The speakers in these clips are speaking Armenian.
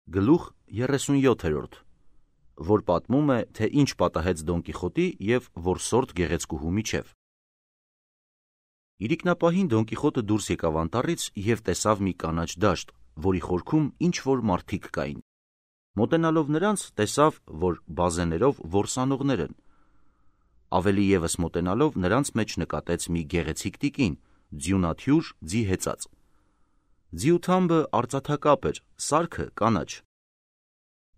Գլուխ 37, որ պատմում է, թե ինչ պատահեց Դոն Կիխոտի և որսորդ գեղեցկուհու միջև։ Իրիկնապահին Դոն Կիխոտը դուրս եկավ անտառից և տեսավ մի կանաչ դաշտ, որի խորքում ինչ-որ մարդիկ կային։ Մոտենալով նրանց, տեսավ, որ բազեներով որս անողներ են։ Ավելի ևս մոտենալով նրանց մեջ նկատեց մի գեղեցիկ տիկին, ձյունաթյուր, ձի հեծած։ Ձիու թամբը արծաթակապ էր, սարքը կանաչ։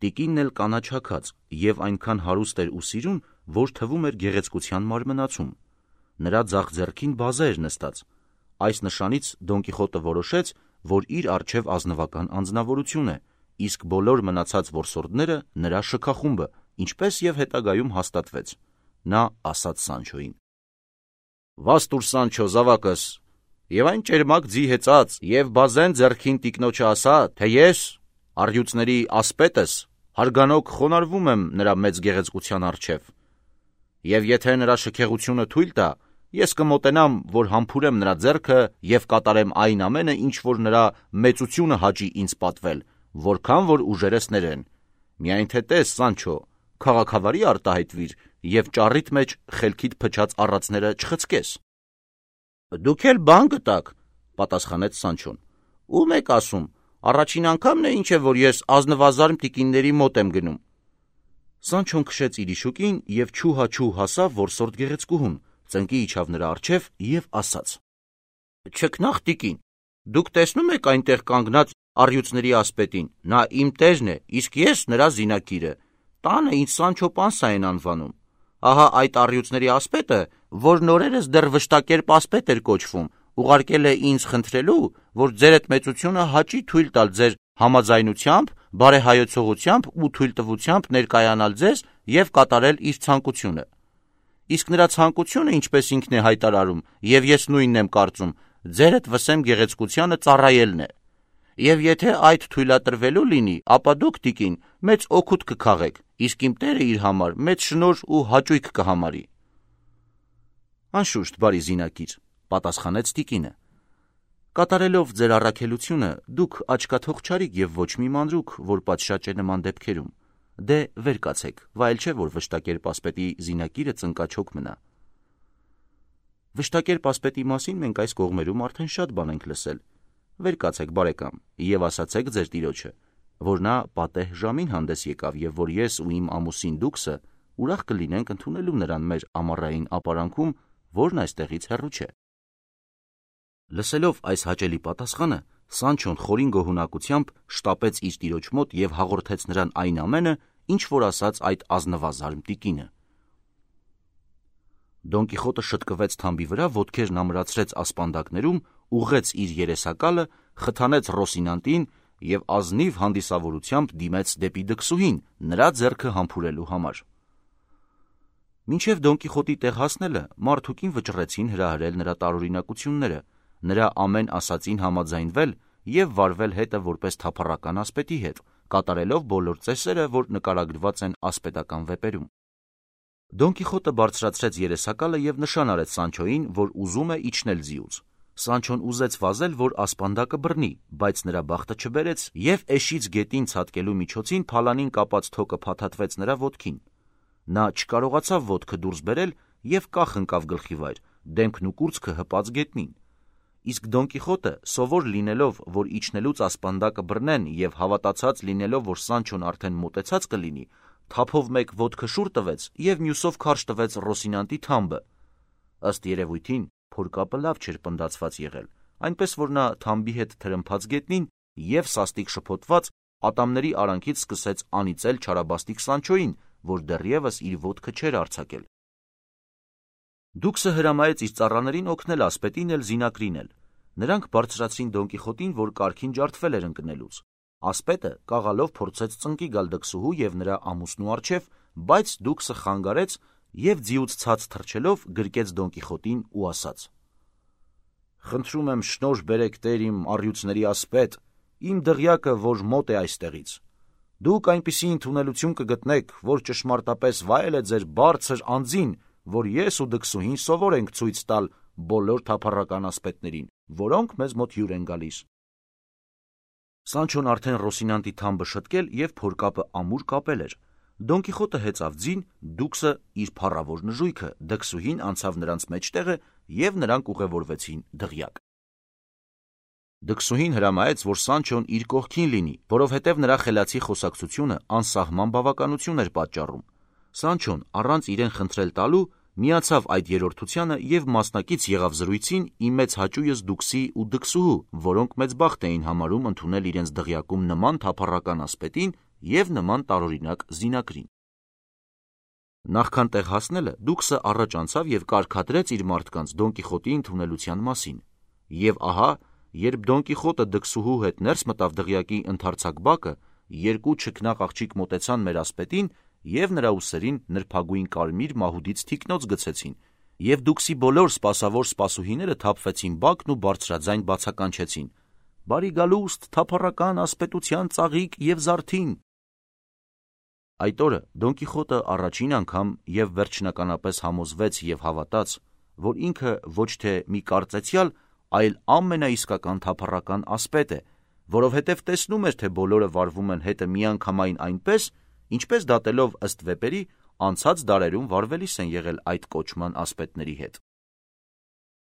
Տիկինն էլ կանաչաքած և այնքան հարուստ էր ու սիրուն, որ թվում էր գեղեցկության մարմնացում։ Նրա ձախ ձեռքին բազե էր նստած։ Այս նշանից Դոն Կիխոտը որոշեց, որ իր առջև ազնվական անձնավորություն է, իսկ բոլոր մնացած որսորդները նրա շքախումբը, ինչպես և հետագայում հաստատվեց։ Նա ասաց Սանչոյին. «Վաստուր Սանչո, զավակս, և այն ճերմակ ձի հեծած, և բազեն ձեռքին տիկնոջը ասա, թե ես, առյուծների ասպետս, հարգանոք խոնարհվում եմ նրա մեծ գեղեցկության առջև, և եթե նրա շքեղությունը թույլ տա, ես կմոտենամ, որ համբուրեմ նրա ձեռքը և կատարեմ այն ամենը, ինչ որ նրա մեծությունը հաճի ինձ պատվել, որքան որ ուժերս ներեն։ Միայն թե տես, Սանչո, քաղաքավարի արտահայտվիր և ճառիդ մեջ խելքիդ փչած առածները չխցկես»։ «Դուք էլ բան գտաք», պատասխանեց Սանչոն։ «Ո՞ւմ եք ասում, առաջին անգամն է, ինչ է, որ ես ազնվազարմ տիկինների մոտ եմ գնում»։ Սանչոն քշեց իր իշուկին և չուհաչուհ հասավ որսորդ գեղեցկուհուն, ծնկի իջավ նրա առջև և ասաց. «Չքնաղ տիկին, դուք տեսնո՞ւմ եք այնտեղ կանգնած առյուծների ասպետին, նա իմ տերն է, իսկ ես նրա զինակիրը, տանը ինձ Սանչո Պանսա են անվանում։ Ահա այդ առյուծների ասպետը, որն օրերս դեռ վշտակերպ ասպետ էր կոչվում, ուղարկել է ինձ խնդրելու, որ ձերդ մեծությունը հաճի թույլ տալ ձեր համաձայնությամբ, բարեհայեցողությամբ ու թույլտվությամբ ներկայանալ ձեզ և կատարել իր ցանկությունը։ Իսկ նրա ցանկությունը, ինչպես ինքն է հայտարարում, և ես նույնն եմ կարծում, ձերդ վսեմ գեղեցկությանը ծառայելն է։ Եվ եթե այդ թույլատրվելու լինի, ապա դուք, տիկին, մեծ օգուտ կքաղեք, իսկ իմ տերը իր համար մեծ շնորհ ու հաճույք կհամարի»։ «Անշուշտ, բարի զինակիր», պատասխանեց տիկինը։ «Կատարելով ձեր առաքելությունը, դուք աչքաթող չարիք և ոչ մի մանրուք, որ պատշաճ է նման դեպքերում։ Դե վեր կացեք, վայել չէ, որ վշտակերպ ասպետի զինակիրը ծնկաչոք մնա»։ Վշտակերպ ասպետի մասին մենք այս կողմերում արդեն շատ բան ենք լսել։ Վեր կացեք, բարեկամ, և ասացեք ձեր տիրոջը, որ նա պատեհ ժամին հանդես եկավ և որ ես ու իմ ամուսին Դուքսը ուրախ կլինենք ընդունելու նրան մեր ամառային ապարանքում, որն այստեղից հեռու չէ։ Լսելով այս հաճելի պատասխանը, Սանչոն խորին գոհունակությամբ շտապեց իր տիրոջ մոտ և հաղորդեց նրան այն ամենը, ինչ որ ասաց այդ ազնվազարմ տիկինը։ Դոն Կիխոտը շտկվեց թամբի վրա, ոտքերն ամրացրեց ասպանդակներում, ուղղեց իր երեսակալը, խթանեց Ռոսինանտին և ազնիվ հանդիսավորությամբ դիմեց դեպի դքսուհին, նրա ձեռքը համբուրելու համար։ Մինչև Դոն Կիխոտի տեղ հասնելը մարդուկին վճռեցին հրահրել նրա տարօրինակությունները, նրա ամեն ասածին համաձայնվել և վարվել հետը որպես թափառական ասպետի հետ, կատարելով բոլոր ծեսերը, որ նկարագրված են ասպետական վեպերում։ Դոն Կիխոտը բարձրացրեց երեսակալը և նշան արեց Սանչոյին, որ ուզում է իջնել ձիուց։ Սանչոն ուզեց վազել, որ ասպանդակը բռնի, բայց նրա բախտը չբերեց, և էշից գետին ցատկելու միջոցին փալանին կապած թոկը փաթաթվեց նրա ոտքին։ Նա չկարողացավ ոտքը դուրս բերել և կախ ընկավ գլխի վայր, դեմքն ու կուրծքը հպած գետնին։ Իսկ Դոն Կիխոտը, սովոր լինելով, որ իջնելուց ասպանդակը բռնեն և հավատացած լինելով, որ Սանչոն արդեն մոտեցած կլինի, թափով մեկ ոտքը շուռ տվեց և մյուսով քարշ տվեց Ռոսինանտի թամբը։ Ըստ երևույթին, փորկապը լավ չէր պնդացված եղել, այնպես որ նա թամբի հետ թրմփաց գետնին և սաստիկ շփոթված ատամների արանքից սկսեց անիծել չարաբաստիկ Սանչոյին, որ դեռևս իր ոտքը չէր արձակել։ Դուքսը հրամայեց իր ծառաներին օգնել ասպետին էլ զինակրինել։ Նրանք բարձրացրին Դոն Կիխոտին, որ կարգին ջարդվել էր ընկնելուց։ Ասպետը կաղալով փորձեց ծնկի գալ դքսուհու և նրա ամուսնու առջև, բայց Դուքսը խանգարեց և ձիուց ցած թռչելով գրկեց Դոն Կիխոտին ու ասաց. «Խնդրում եմ շնորհ բերեք, տեր իմ առյուծների ասպետ, իմ դղյակը, որ մոտ է այստեղից։ Դուք այնպիսի ընդունելություն կգտնեք, որ ճշմարտապես վայել է ձեր բարձր անձին, որ ես ու դքսուհին սովոր ենք ցույց տալ բոլոր թափառական ասպետներին, որոնք մեզ մոտ հյուր են գալիս»։ Սանչոն արդեն Ռոսինանտի թամբը շտկել և փորկապը ամուր կապել էր։ Դոն Կիխոտը հեծավ ձին, Դուքսը իր փառավոր նժույգը, դքսուհին անցավ նրանց մեջտեղը և նրանք ուղևորվեցին դղյակ։ Դքսուհին հրամայեց, որ Սանչոն իր կողքին լինի, որովհետև նրա խելացի խոսակցությունը անսահման բավականություն էր պատճառում։ Սանչոն առանց իրեն խնդրել տալու միացավ այդ երրորդությանը և մասնակից եղավ զրույցին ի մեծ հաճույս Դուքսի ու դքսուհու, որոնք մեծ բախտ էին համարում ընդունել իրենց դղյակում նման թափառական ասպետին և նման տարօրինակ զինակրին։ Նախքան տեղ հասնելը Դուքսը առաջ անցավ և կարգադրեց իր մարդկանց Դոն Կիխոտի ընդունելության մասին։ Եվ ահա, երբ Դոն Կիխոտը դքսուհու հետ ներս մտավ դղյակի ընդարձակ բակը, երկու չքնաղ աղջիկ մոտեցան մեր ասպետին և նրա ուսերին նրբագույն կարմիր մահուդից թիկնոց գցեցին, և Դուքսի բոլոր սպասավոր սպասուհիները թափվեցին բակն ու բարձրաձայն բացականչեցին. «Բարի գալուստ, թափառական ասպետության ծաղիկ և զարթին»։ Այդ օրը Դոն Կիխոտը առաջին անգամ և վերջնականապես համոզվեց և հավատաց, որ ինքը ոչ թե մի կարծեցյալ, այլ ամենաիսկական թափառական ասպետ է, որովհետև տեսնում էր, թե բոլորը վարվում են հետը միանգամայն այնպես, ինչպես դատելով ըստ վեպերի անցած դարերում վարվելիս են եղել այդ կոչման ասպետների հետ։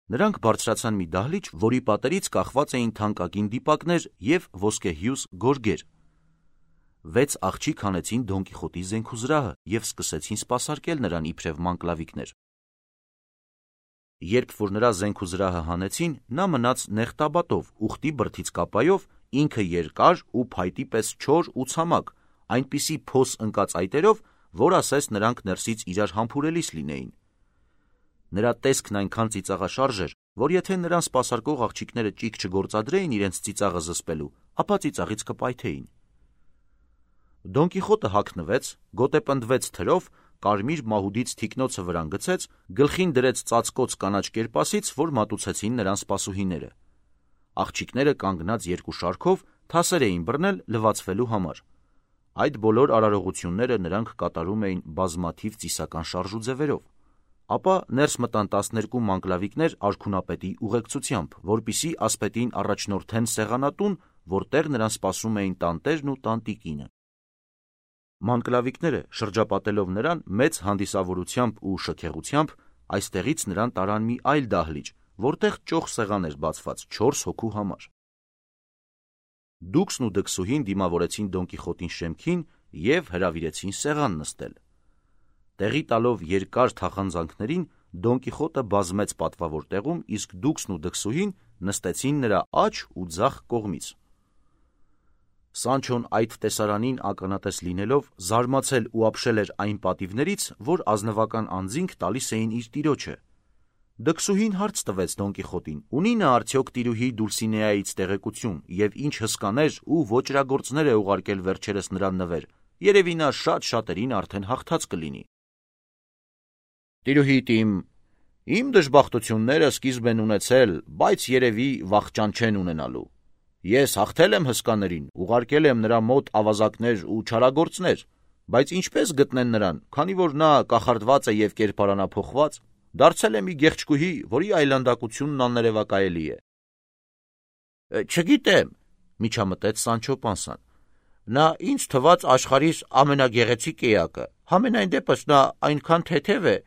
Նրանք բարձրացան մի դահլիճ, որի պատերից կախված էին թանկագին դիպակներ և ոսկեհյուս գորգեր։ 6 աղջիկ հանեցին Դոն Կիխոտի զենքուզրահը և սկսեցին սպասարկել նրան իբրև մանկլավիկներ։ Երբ որ նրա զենքուզրահը հանեցին, նա մնաց նեղտաբատով, ուխտի բրդից կապայով, ինքը երկար ու փայտի պես չոր ու ցամաք, այնպիսի փոս ընկած այտերով, որ ասես նրանք ներսից իրար համբուրելիս լինեին։ Նրա տեսքն այնքան ծիծաղաշարժ էր, որ եթե նրան սպասարկող աղջիկները ճիգ չգործադրեին իրենց ծիծաղը զսպելու, ապա ծիծաղից կպայթեին։ Դոն Կիխոտը հագնվեց, գոտեպնդվեց թրով, կարմիր մահուդից թիկնոցը վրան գցեց, գլխին դրեց ծածկոց կանաչ կերպասից, որ մատուցեցին նրան սպասուհիները։ Աղջիկները կանգնած երկու շարքով թասեր էին բռնել լվացվելու համար։ Այդ բոլոր արարողությունները նրանք կատարում էին բազմաթիվ ծիսական շարժուձևերով։ Ապա ներս մտան 12 մանկլավիկներ արքունապետի ուղեկցությամբ, որպեսզի ասպետին առաջնորդեն սեղանատուն, որտեղ նրան սպասում էին տանտերն ու տանտիկինը։ Մանկլավիկները, շրջապատելով նրան մեծ հանդիսավորությամբ ու շքեղությամբ, այստեղից նրան տարան մի այլ դահլիճ, որտեղ ճոխ սեղան էր բացված 4 հոգու համար։ Դուքսն ու դքսուհին դիմավորեցին Դոն Կիխոտին շեմքին և հրավիրեցին սեղան նստել։ Տեղի տալով երկար թախանձանքներին, Դոն Կիխոտը բազմեց պատվավոր տեղում, իսկ Դուքսն ու դքսուհին նստեցին նրա աջ ու ձախ կողմից։ Սանչոն այդ տեսարանին ականատես լինելով զարմացել ու ապշել էր այն պատիվներից, որ ազնվական անձինք տալիս էին իր տիրոջը։ Դքսուհին հարց տվեց Դոն Կիխոտին. ունի նա արդյոք տիրուհի Դուլսինեայից տեղեկություն և ինչ հսկաներ ու ոճրագործներ է ուղարկել վերջերս նրան նվեր, երևի նա շատերին արդեն հաղթած կլինի։ Տիրուհիդ իմ դժբախտությունները սկիզբ են ունեցել, բայց երևի վախճան չեն ունենալու։ Ես հաղթել եմ հսկաներին, ուղարկել եմ նրա մոտ ավազակներ ու չարագործներ, բայց ինչպես գտնեն նրան, քանի որ նա կախարդված է և կերպարանափոխված, դարձել է մի գեղեցկուհի, որի այլանդակությունն աններևակայելի է։ Չգիտեմ, միջամտեց Սանչո Պանսան, նա ինձ թվաց աշխարհիս ամենագեղեցիկ էակը, համենայն դեպս նա այնքան թեթև է,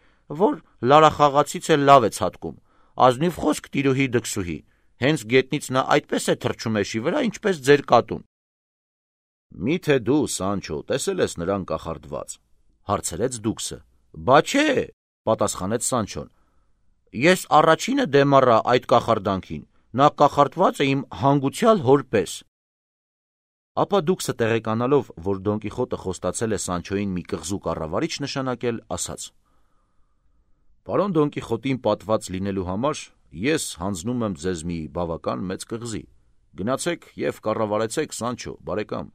որ լարախաղացից էլ լավ է ցատկում, ազնիվ խոսք տիրուհի դքսուհի, հենց գետնից նա այդպես է թռչում էշի վրա, ինչպես ձեր կատուն։ Միթե դու, Սանչո, տեսել ես նրան կախարդված, հարցրեց Դուքսը։ Բա չէ, պատասխանեց Սանչոն, ես առաջինը դեմ առա այդ կախարդանքին, նա կախարդված է իմ հանգուցյալ հոր պես։ Ապա Դուքսը տեղեկանալով, որ Դոն Կիխոտը խոստացել է Սանչոյին մի կղզու կառավարիչ նշանակել, ասաց. Պարոն Դոն Կիխոտին պատված լինելու համար ես հանձնում եմ ձեզ մի բավական մեծ կղզի, գնացեք և կառավարեցեք, Սանչո, բարեկամ։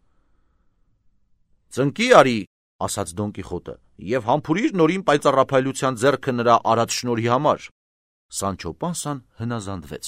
Ծնկի արի, ասաց Դոն Կիխոտը, և համբուրիր նորին պայծառափայլության ձեռքը նրա արած շնորհի համար։ Սանչո Պանսան հնազանդվեց։